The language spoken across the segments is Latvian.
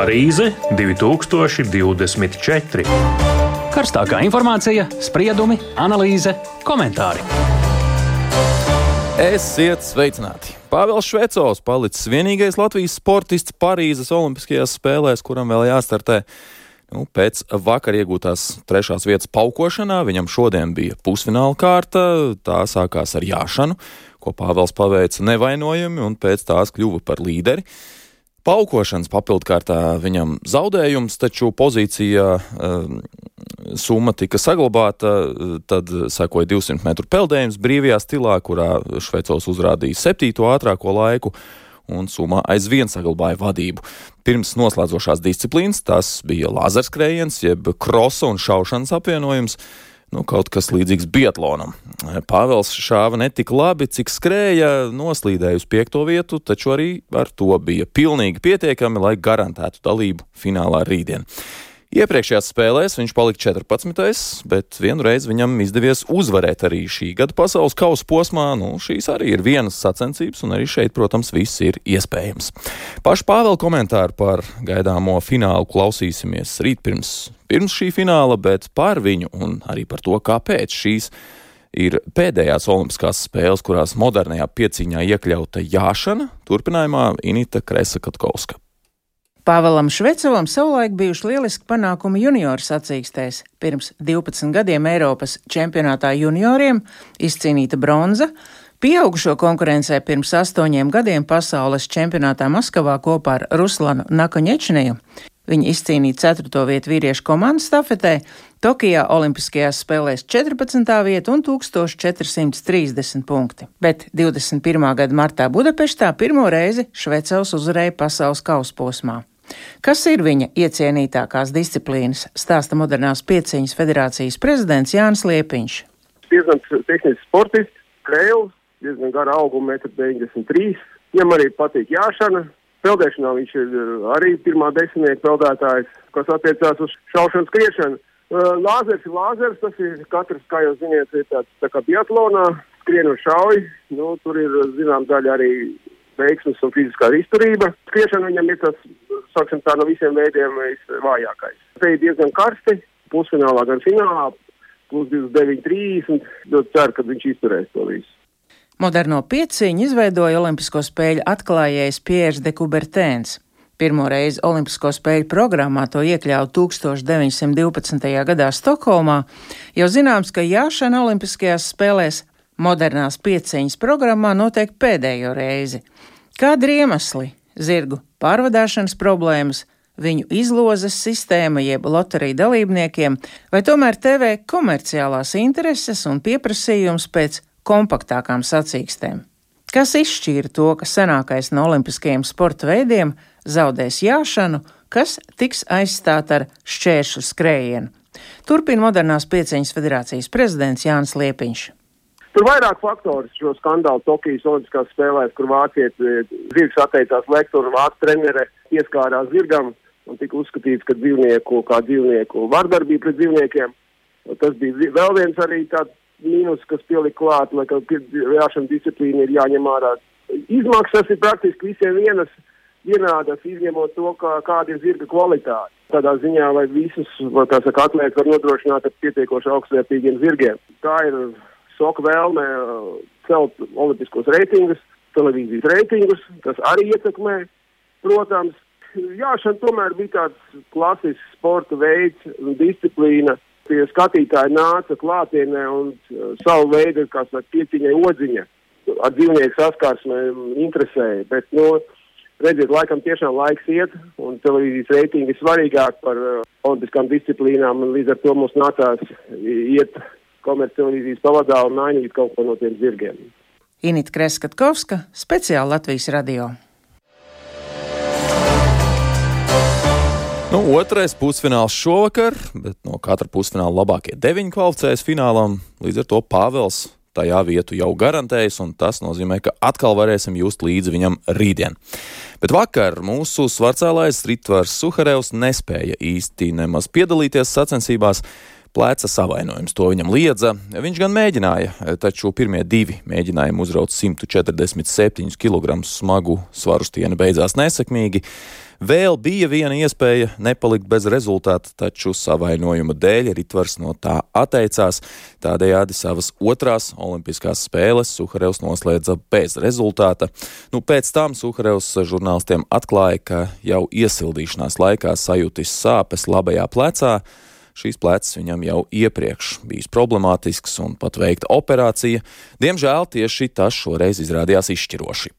Parīze 2024. Karstākā informācija, spriedumi, analīze, komentāri. Esiet sveicināti! Pāvils Švecovs palicis vienīgais Latvijas sportists Parīzes Olimpiskajās spēlēs, kuram vēl jāstartē. Pēc vakar iegūtās 3. vietas paukošanā viņam šodien bija pusfināla kārta, tā sākās ar jāšanu, ko Pāvils paveica nevainojami un pēc tās kļuva par līderi. Paukošanas papildkārtā viņam zaudējums, taču pozīcijā summa tika saglabāta, tad sekoja 200 metru peldējums brīvajā stilā, kurā Švecovs uzrādīja 7. ātrāko laiku, un summa aizvien saglabāja vadību. Pirms noslēdzošās disciplīnas tas bija lāzerskrējiens, jeb krosa un šaušanas apvienojums, kaut kas līdzīgs biatlonam. Pāvils šāva netik labi, cik skrēja, noslīdēja uz 5. vietu, taču arī ar to bija pilnīgi pietiekami, lai garantētu dalību finālā rītdien. Iepriekšējās spēlēs viņš palika 14. bet vienreiz viņam izdevies uzvarēt arī šī gada pasaules kausa posmā. Šīs arī ir vienas sacensības, un arī šeit, protams, viss ir iespējams. Pašu Pāvela komentāru par gaidāmo finālu klausīsimies rīt pirms šī fināla, bet par viņu un arī par to, kāpēc šīs ir pēdējās olimpiskās spēles, kurās modernajā pieciņā iekļauta jāšana, turpinājumā Inita Kresa-Katkovska. Pāvelam Švecovam savulaik bijuši lieliski panākumi junioru sacīkstēs. Pirms 12 gadiem Eiropas čempionātā junioriem izcīnīta bronza, pieaugušo konkurencē pirms 8 gadiem pasaules čempionātā Maskavā kopā ar Ruslanu Nakaņečneju. Viņi izcīnīja 4. vietu vīriešu komandas stafetē, Tokijā olimpiskajās spēlēs 14. vietu un 1430 punkti. Bet 21. gada martā Budapeštā pirmo reizi Švecovs uzvarēja pasaules kausa posmā. Kas ir viņa iecienītākās disciplīnas, stāsta modernās pieciņas federācijas prezidents Jānis Liepiņš. Diezgan tehnisks sportists, krēls, diezgan gara auguma 1,93 m. Viņam arī patīk jāšana. Peldēšanā viņš ir arī pirmā desmitnieka peldētājs, kas attiecās uz šaušanu skriešanu. Lāzers ir lāzers, tas ir katrs, kā jūs ziniet, ir tāds tā kā biatlonā, skrien un šauj. Tur ir, zinām, daļa arī veiksmes un fiziskā izturība. Skriešana viņam ir tas, sāksim tā, no visiem veidiem vājākais. Te ir diezgan karsti, pusfinālā gan finālā, plus 29-30, ļoti ceru, ka viņš izturēs to visu. Moderno pieciņu izveidoja Olimpisko spēļu atklājējs Pierre de Coubertins. Pirmo reizi Olimpisko spēļu programmā to iekļāva 1912. gadā Stokholmā. Jau zināms, ka jāšana Olimpiskajās spēlēs modernās pieciņas programmā notiek pēdējo reizi. Kādi ir iemesli? Zirgu pārvadāšanas problēmas, viņu izlozes sistēma jeb loteriju dalībniekiem, vai tomēr TV komerciālās intereses un pieprasījums pēc kompaktākām sacīkstēm? Kas izšķīra to, ka senākais no olimpiskajiem sporta veidiem zaudēs jāšanu, kas tiks aizstāt ar šķēršu skrējienu? Turpina modernās pieciņas federācijas prezidents Jānis Liepiņš. Tur vairāk faktori šo skandālu Tokijas olimpiskās spēlēs, kur vācietis zirgs atteicās lekt un vācu trenere pieskārās zirgam un tika uzskatīts, ka dzīvnieku vardarbība pret dzīvniekiem. Tas bija vēl viens arī tāds mīnus, kas pielika klāt, lai jāšana disciplīna ir jāņem ārā. Izmaksas ir praktiski visiem vienādas, izņemot to, kāda ir zirga kvalitāte. Tādā ziņā, lai visus, atlētas var nodrošināt ar pietiekoši augstvērtīgiem zirgiem. Tā ir soka vēlme celt olimpiskos reitingus, televīzijas reitingus, kas arī ietekmē, protams. Jāšana tomēr bija tāds klasisks sporta veids un disciplīna. Tie skatītāji nāca klātienē un savu veidu, kā saka, pieciņai odziņa ar dzīvnieku saskarsmē interesēja. Bet, redziet, laikam tiešām laiks iet, un televīzijas reitingi ir svarīgāk par olimpiskām disciplīnām, un līdz ar to mums nācās iet komerctelevīzijas pavadā un mainīt kaut ko no tiem zirgiem. Inita Kresa-Katkovska, speciāli Latvijas radio. Otrais pusfināls šovakar, bet no katra pusfināla labākie 9 kvalificējas finālam, līdz ar to Pāvils tajā vietu jau garantējas, un tas nozīmē, ka atkal varēsim just līdzi viņam rītdien. Bet vakar mūsu svarcēlājs Ritvars Suharevs nespēja īsti nemaz piedalīties sacensībās. pleca savainojums. To viņam liedza. Viņš gan mēģināja, taču pirmie 2 mēģinājumi uzraut 147 kg smagu svarustieni beidzās nesekmīgi. Vēl bija viena iespēja nepalikt bez rezultāta, taču savainojuma dēļ Ritvars no tā atteicās. Tādējādi savas otrās olimpiskās spēles Suharevs noslēdza bez rezultāta. Pēc tam Suharevs žurnālistiem atklāja, ka jau iesildīšanās laikā sajūtis sāpes labajā plecā. Šīs plecs viņam jau iepriekš bijis problemātisks un pat veikta operācija. Diemžēl tieši tas šoreiz izrādījās izšķiroši.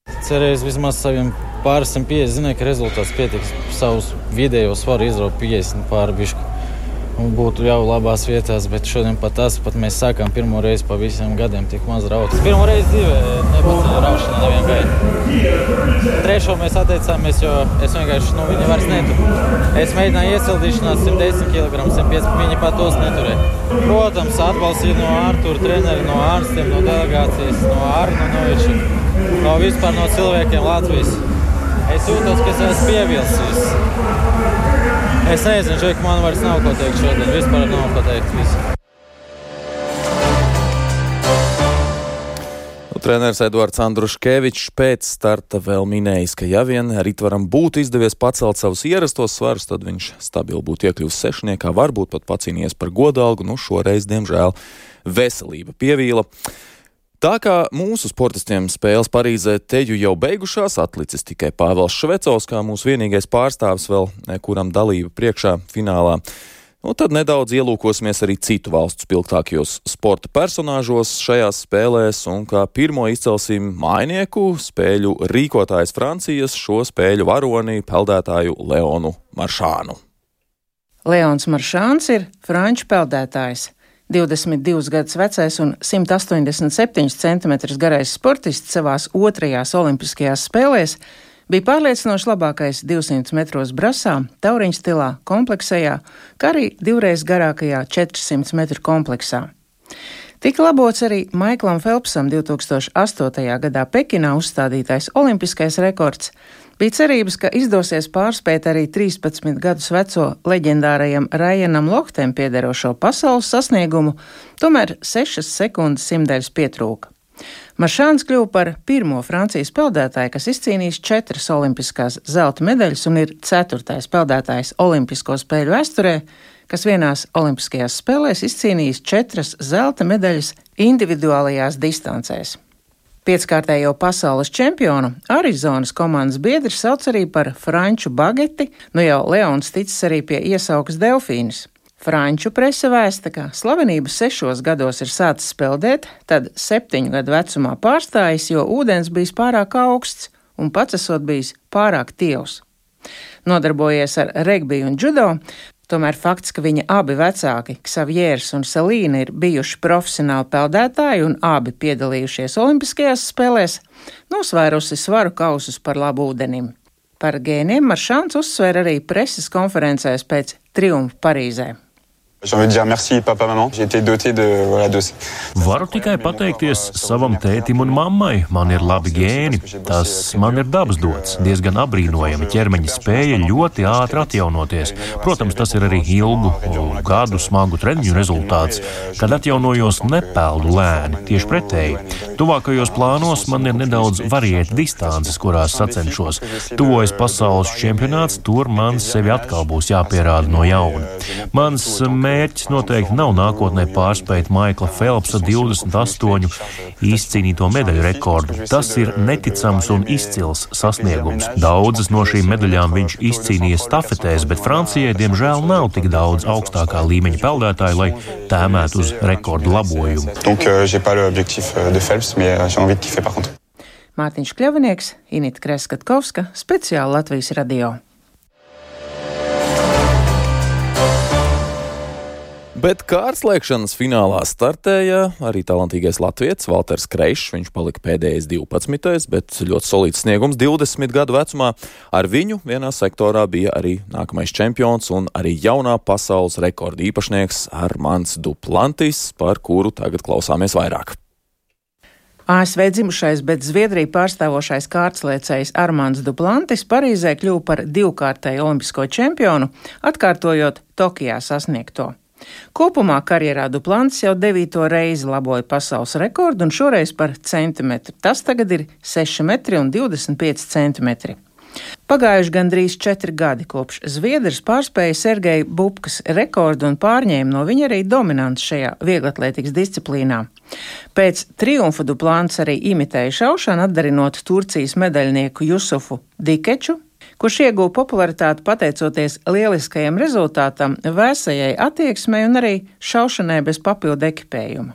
Cerēju vismaz saviem pāri 150, zināju, ka rezultāts pietiks savus vidējo svaru izraut 50 pāri bišku. Un būtu jau labās vietās, bet šodien pat mēs sākām pirmo reizi pa visiem gadiem tik maz raut. Pirmo reizi dzīvē nepaceļu raušanā nevienu gaidu. Trešo mēs atteicāmies, jo es vienkārši, viņi vairs neturu. Es mēģināju iesildīšanās 110 kg, 105, viņi pat tos neturēja. Protams, atbalstīju no Artūra treneri, no ārstiem, no delegācijas, no Arna Noviča. Vispār no cilvēkiem Latvijas. Es jūtos, ka es esmu pievilsis. Es nezinu, ka man vairs nav ko teikt šodien. Vispār nav ko teikt. Treneris Eduards Andruškevičs pēc starta vēl minējis, ka ja vien Ritvaram būtu izdevies pacelt savus ierastos svarus, tad viņš stabili būtu iekļuvis sešniekā, varbūt pat pacīnījies par godalgu. Šoreiz, diemžēl, veselība pievīla. Tā kā mūsu sportistiem spēles Parīzē teju jau beigušās, atlicis tikai Pāvils Švecovs, kā mūsu vienīgais pārstāvis vēl, kuram dalība priekšā finālā. Tad nedaudz ielūkosimies arī citu valstu spilgtākajos sporta personāžos šajās spēlēs, un kā pirmo izcelsim mājinieku, spēļu rīkotājs Francijas, šo spēļu varoni, peldētāju Leonu Maršānu. Leons Maršāns ir franču peldētājs. 22 gadus vecais un 187 cm garais sportists savās otrajās olimpiskajās spēlēs bija pārliecinoši labākais 200 metros brasā, tauriņu stilā, kompleksējā, kā arī 2 reizes garākajā 400 metru kompleksā. Tika labots arī Maiklam Felpsam 2008. gadā Pekinā uzstādītais olimpiskais rekords. Bija cerības, ka izdosies pārspēt arī 13 gadus veco leģendārajam Ryanam Lochtem piederošo pasaules sasniegumu, tomēr 6 sekundes simtdaļas pietrūka. Maršāns kļuva par pirmo Francijas peldētāju, kas izcīnījis 4 olimpiskās zelta medaļas un ir 4. peldētājs olimpisko spēļu vēsturē, kas vienās olimpiskajās spēlēs izcīnījis 4 zelta medaļas individuālajās distancēs. 5-kārtējo pasaules čempionu Arizonas komandas biedri sauc arī par franču bageti, jau Leons ticis arī pie iesaukas Delfīnas. Franču prese vēsta, ka slavenību 6 gados ir sācis peldēt, tad 7 gadu vecumā pārstājis, jo ūdens bijis pārāk augsts un pats esot bijis pārāk tievs. Nodarbojies ar regbiju un judo, tomēr fakts, ka viņa abi vecāki, Ksavjērs un Selīna, ir bijuši profesionāli peldētāji un abi piedalījušies olimpiskajās spēlēs, nosvērusi svaru kausus par labu ūdenim. Par gēniem Maršāns uzsver arī preses konferencēs pēc triumfa Parīzē. Varu tikai pateikties savam tētim un mammai. Man ir labi gēni. Tas man ir dabas dots. Diezgan apbrīnojami ķermeņa spēja ļoti ātri atjaunoties. Protams, tas ir arī ilgu gadu smagu treniņu rezultāts. Kad atjaunojos, nepeldu lēni. Tieši pretēji. Tuvākajos plānos man ir nedaudz variēta distances, kurās sacenšos. Tuvojas pasaules čempionāts, tur man sevi atkal būs jāpierāda no jauna. Mans mērķis noteikti nav nākotnē pārspēt Maikla Felpsa 28 izcīnīto medaļu rekordu. Tas ir neticams un izcils sasniegums. Daudzas no šīm medaļām viņš izcīnīja stafetēs, bet Francijai diemžēl nav tik daudz augstākā līmeņa peldētāju, lai tēmētu uz rekordu labojumu. Mārtiņš Kļavinieks, Inita Kreskatkovska, speciāli Latvijas radio. Bet kārtslēkšanas finālā startēja arī talantīgais latvietis Valters Kreišs. Viņš palika pēdējais 12. bet ļoti solīts sniegums 20 gadu vecumā. Ar viņu vienā sektorā bija arī nākamais čempions un arī jaunā pasaules rekorda īpašnieks Armands Duplantis, par kuru tagad klausāmies vairāk. ASV dzimušais, bet Zviedriju pārstāvošais kārtslēcējs Armands Duplantis Parīzē kļuva par 2-kārtēju olimpisko čempionu, atkārtojot Tokijā sasniegto. Kopumā karjerā Duplantis jau 9. reizi laboja pasaules rekordu un šoreiz par centimetru. Tas tagad ir 6,25 centimetri. Pagājuši gandrīz 4 gadi, kopš zviedrs pārspēja Sergeja Bubkas rekordu un pārņēma no viņa arī dominants šajā vieglatlētikas disciplīnā. Pēc triumfa Duplantis arī imitēja šaušanu, atdarinot Turcijas medaļnieku Jusufu Dikeču, kurš ieguva popularitāti pateicoties lieliskajam rezultātam, vēsajai attieksmei un arī šaušanai bez papildu ekipējuma.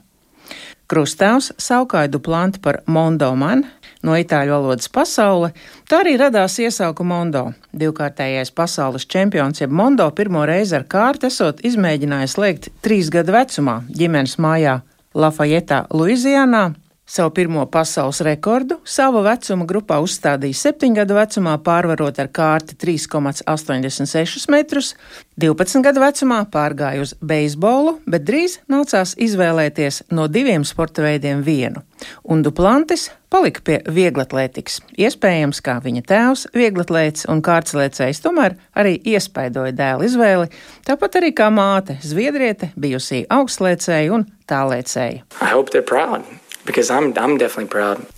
Krustāvs saukāja Duplanti par Mondo Man, no itāļu valodas pasaule, tā arī radās iesauka Mondo. Divkārtējais pasaules čempions jeb Mondo pirmo reizi ar kārti esot izmēģinājis slēgt 3 gadu vecumā ģimenes mājā Lafajetā, Luizianā. Savu pirmo pasaules rekordu sava vecuma grupā uzstādīja 7 gadu vecumā, pārvarot ar kārti 3,86 metrus, 12 gadu vecumā pārgāja uz beisbolu, bet drīz nācās izvēlēties no 2 sporta veidiem vienu. Un Duplantis palika pie vieglatlētikas. Iespējams, kā viņa tēvs, vieglatlēts un kārtslēcējs, tomēr arī iespaidoja dēla izvēli, tāpat arī kā māte, zviedriete, bijusī augstslēcēja un tālēcēja.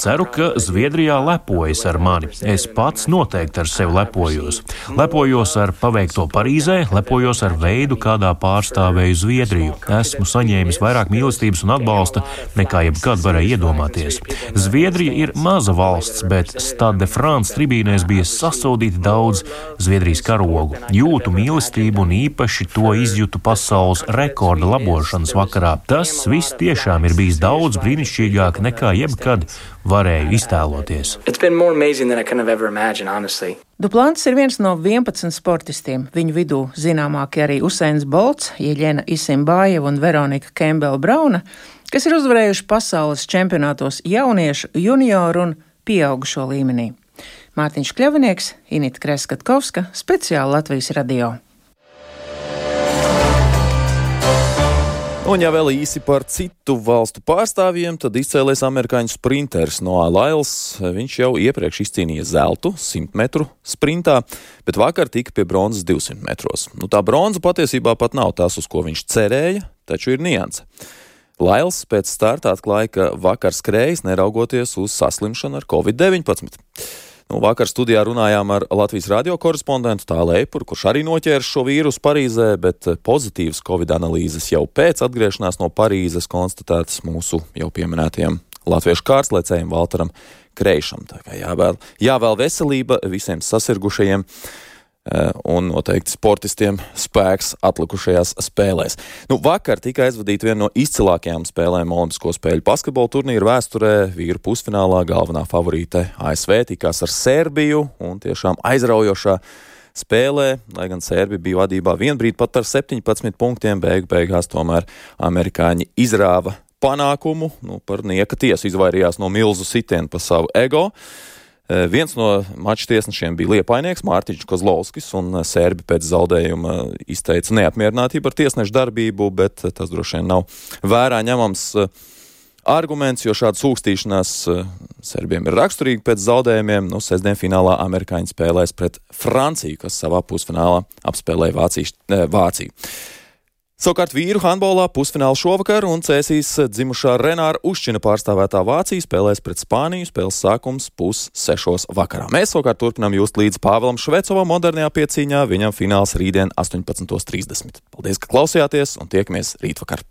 Ceru, ka Zviedrijā lepojas ar mani. Es pats noteikti ar sevi lepojos. Lepojos ar paveikto Parīzē, lepojos ar veidu, kādā pārstāvēju Zviedriju. Esmu saņēmis vairāk mīlestības un atbalsta, nekā jebkad varēja iedomāties. Zviedrija ir maza valsts, bet Stade de France tribīnēs bija sasodīti daudz Zviedrijas karogu. Jūtu mīlestību un īpaši to izjūtu pasaules rekorda labošanas vakarā. Tas viss tiešām ir bijis daudz brīnišķīgāk nekā jebkad varēju iztēloties. Duplantis ir viens no 11 sportistiem. Viņu vidū zināmākie arī Usains Bolts, Jeļena Isimbājeva un Veronika Kembela Brauna, kas ir uzvarējuši pasaules čempionātos jauniešu, junioru un pieaugušo līmenī. Mārtiņš Kļavinieks, Inita Kreskatkovska, speciāli Latvijas radio. Un ja vēl īsi par citu valstu pārstāvjiem, tad izcēlies amerikāņu sprinteris Noah Lyles. Viņš jau iepriekš izcīnīja zeltu 100 metru sprintā, bet vakar tika pie bronzas 200 metros. Tā bronza patiesībā pat nav tas, uz ko viņš cerēja, taču ir nianse. Lyles pēc starta atklāja, ka vakar skrējis neraugoties uz saslimšanu ar Covid-19. Vakar studijā runājām ar Latvijas radio korespondentu Tālu Eipuru, kurš arī noķēra šo vīrusu Parīzē, bet pozitīvas Covid analīzes jau pēc atgriešanās no Parīzes konstatētas mūsu jau pieminētajam latviešu kārtslēcējiem Valteram Kreišam. Tā kā jāvēl veselība visiem sasirgušajiem un noteikti sportistiem spēks atlikušajās spēlēs. Vakar tika aizvadīta viena no izcilākajām spēlēm Olimpisko spēļu basketbola turnīra vēsturē. Vīru pusfinālā galvenā favorīte ASV tikās ar Serbiju un tiešām aizraujošā spēlē, lai gan Serbi bija vadībā vienbrīd pat par 17 punktiem, beigās tomēr amerikāņi izrāva panākumu, par nieka tiesu izvairījās no milzu sitienu pa savu ego. Viens no mača tiesnešiem bija liepainieks Mārtiņš Kozlovskis, un Serbi pēc zaudējuma izteica neapmierinātību ar tiesnešu darbību, bet tas droši vien nav vērā ņemams arguments, jo šāda sūkstīšanās Serbiem ir raksturīga pēc zaudējumiem. Sestdien finālā amerikāņi spēlēs pret Franciju, kas savā pusfinālā apspēlēja Vāciju. Savukārt vīru handbolā pusfinālu šovakar un cēsīs dzimušā Renāra Uščina pārstāvētā Vācija spēlēs pret Spāniju. Spēles sākums 5:30 vakarā. Mēs savukārt turpinām just līdz Pāvēlam Švecovam modernajā piecīņā. Viņam fināls rītdien 18:30. Paldies, ka klausījāties un tiekamies rītvakar!